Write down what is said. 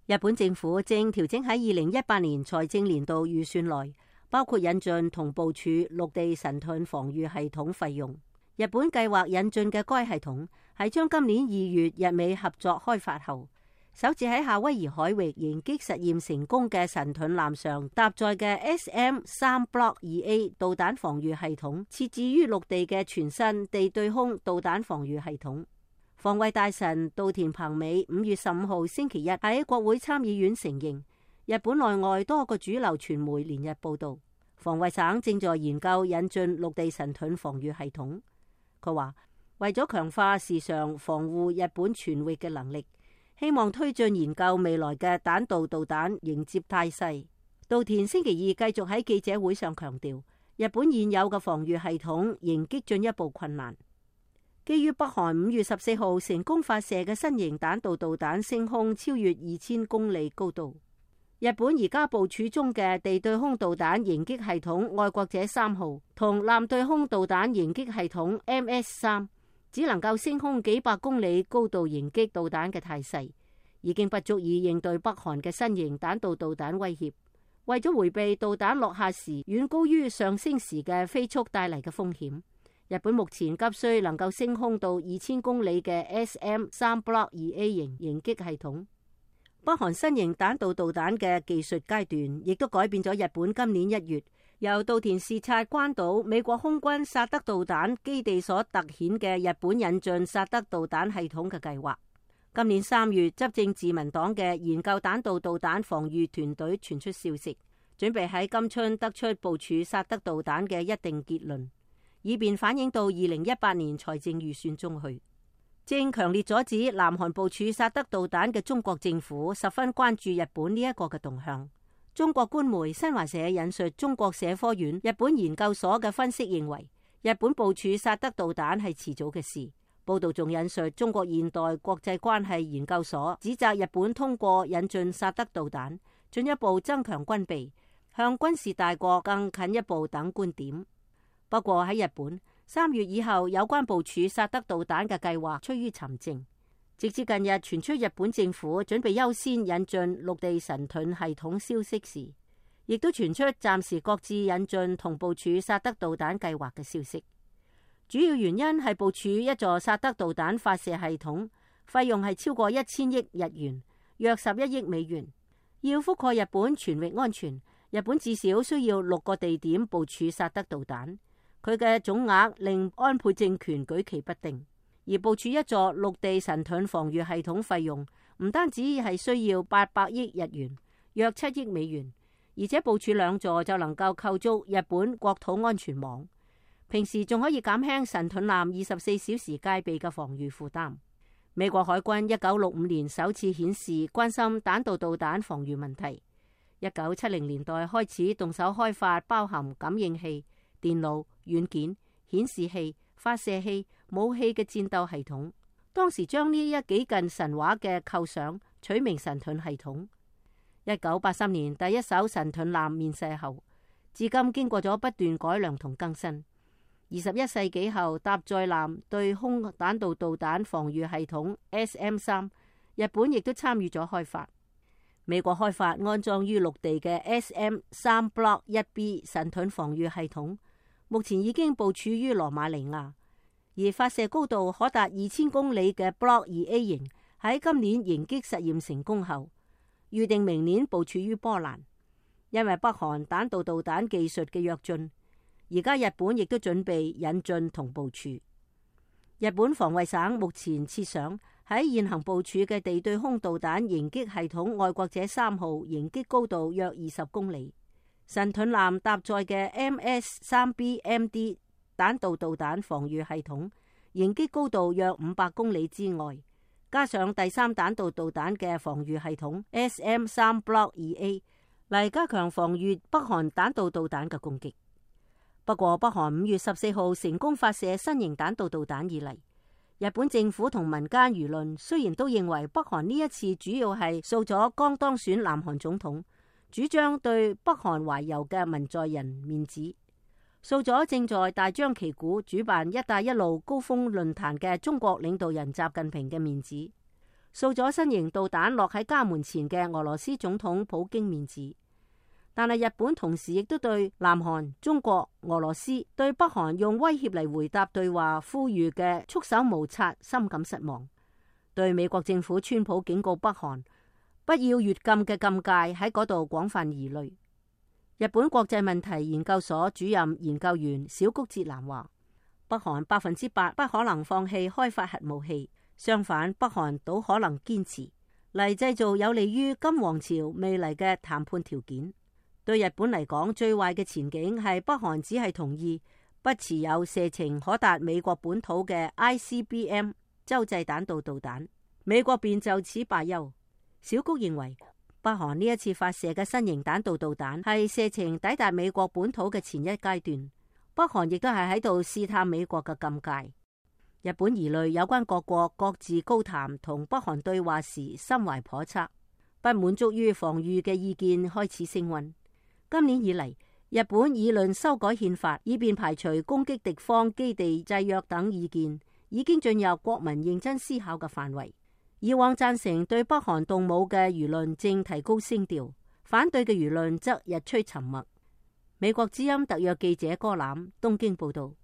日本政府正調整喺2018年財政年度預算內，包括引進同部署陸地神盾防禦系統費用。日本計劃引進嘅該系統係將今年2月日美合作開發後，首次喺夏威夷海域迎擊實驗成功嘅神盾艦上搭載嘅 SM-3 Block 2A 導彈防禦系統，設置於陸地嘅全新地對空導彈防禦系統。防衛大臣稻田朋美5月15號星期日喺國會參議院承認，日本內外多個主流傳媒連日報道，防衛省正在研究引進陸地神盾防禦系統。佢話為咗強化時常防護日本全域嘅能力，希望推進研究未來嘅彈道導彈迎接態勢。稻田星期二繼續喺記者會上強調，日本現有嘅防禦系統迎擊進一步困難。基於北韓5月14號成功發射嘅新型彈道導彈升空超越2000公里高度，日本而家部署中嘅地對空導彈迎擊系統愛國者3號同艦對空導彈迎擊系統 MS-3，只能夠升空幾百公里高度迎擊導彈嘅態勢，已經不足以應對北韓嘅新型彈道導彈威脅。為咗迴避導彈落下時遠高於上升時嘅飛速帶嚟嘅風險，日本目前急需能夠升空到2000公里嘅 SM-3 Block 2A 型迎擊系統。北韓新型彈道導彈嘅技術階段亦都改變咗日本今年1月由稻田視察關島美國空軍薩德導彈基地所突顯嘅日本引進薩德導彈系統嘅計劃。今年3月，執政自民黨嘅研究彈道導彈防禦團隊傳出消息，準備喺今春得出部署薩德導彈嘅一定結論，以便反映到2018年財政預算中去。正強烈阻止南韓部署薩德導彈嘅中國政府十分關注日本呢一個嘅動向。中國官媒新華社引述中國社科院日本研究所嘅分析認為，日本部署薩德導彈係遲早嘅事。報道仲引述中國現代國際關係研究所指責日本通過引進薩德導彈，進一步增強軍備，向軍事大國更近一步等觀點。不過喺日本3月以後，有關部署薩德導彈嘅計劃趨於沉靜。直至近日傳出日本政府準備優先引進陸地神盾系統消息時，亦都傳出暫時擱置引進同部署薩德導彈計劃嘅消息。主要原因係部署一座薩德導彈發射系統，費用係超過1000億日元，約11億美元。要覆蓋日本全域安全，日本至少需要6個地點部署薩德導彈。佢嘅總額令安倍政權舉棋不定。而部署一座陸地神盾防禦系統費用唔單止係需要800億日元，約7億美元，而且部署2座就能夠構築日本國土安全網。平時仲可以減輕神盾艦24小時戒備嘅防禦負擔。美國海軍1965年首次顯示關心彈道導彈防禦問題。1970年代開始動手開發包含感應器、電腦、軟件、顯示器、發射器、武器嘅戰鬥系統。當時將呢一幾近神話嘅構想取名神盾系統。1983年第一艘神盾艦面世後，至今經過咗不斷改良同更新。21世紀後，搭載艦對空彈道導彈防禦系統 SM-3， 日本亦都參與咗開發。美國開發安裝於陸地嘅 SM-3 Block 1B 神盾防禦系統，目前已經部署於羅馬尼亞，而發射高度可達2000公里嘅 Block 2A 型喺今年迎擊實驗成功後，預定明年部署於波蘭。因為北韓彈道導彈技術嘅躍進，而家日本亦都準備引進同部署。日本防衛省目前設想喺現行部署嘅地對空導彈迎擊系統愛國者3號迎擊高度約20公里，神盾艦搭載嘅 MS-3BMD 彈道導彈防禦系統迎擊高度約500公里之外，加上第3彈道導彈嘅防禦系統 SM-3 Block 2A 嚟加強防禦北韓彈道導彈嘅攻擊。不過，北韓5月14號成功發射新型彈道導彈以嚟，日本政府同民間輿論雖然都認為北韓呢一次主要係掃咗剛當選南韓總統主張對北韓懷柔嘅文在寅面子，掃咗正在大張旗鼓主辦一帶一路高峰論壇嘅中國領導人習近平嘅面子，掃咗新型導彈落喺家門前嘅俄羅斯總統普京面子。但係日本同時亦都對南韓、中國、俄羅斯對北韓用威脅嚟回答對話呼籲嘅束手無策深感失望，對美國政府川普警告北韓不要越禁嘅禁戒喺嗰度廣泛疑慮。日本國際問題研究所主任研究員小谷哲男話：北韓100%不可能放棄開發核武器，相反，北韓倒可能堅持嚟製造有利於金王朝未來嘅談判條件。對日本嚟講，最壞嘅前景係北韓只係同意不持有射程可達美國本土嘅 ICBM 洲際彈道導彈，美國便就此罷休。小谷認為，北韓呢一次發射嘅新型彈道導彈係射程抵達美國本土嘅前一階段，北韓亦都係喺度試探美國嘅禁戒。日本疑慮有關各國各自高談同北韓對話時心懷叵測，不滿足於防禦嘅意見開始升溫。今年以嚟，日本議論修改憲法，以便排除攻擊敵方基地制約等意見，已經進入國民認真思考嘅範圍。以往贊成對北韓動武嘅輿論正提高聲調，反對嘅輿論則日趨沉默。美國之音特約記者柯攬東京報道。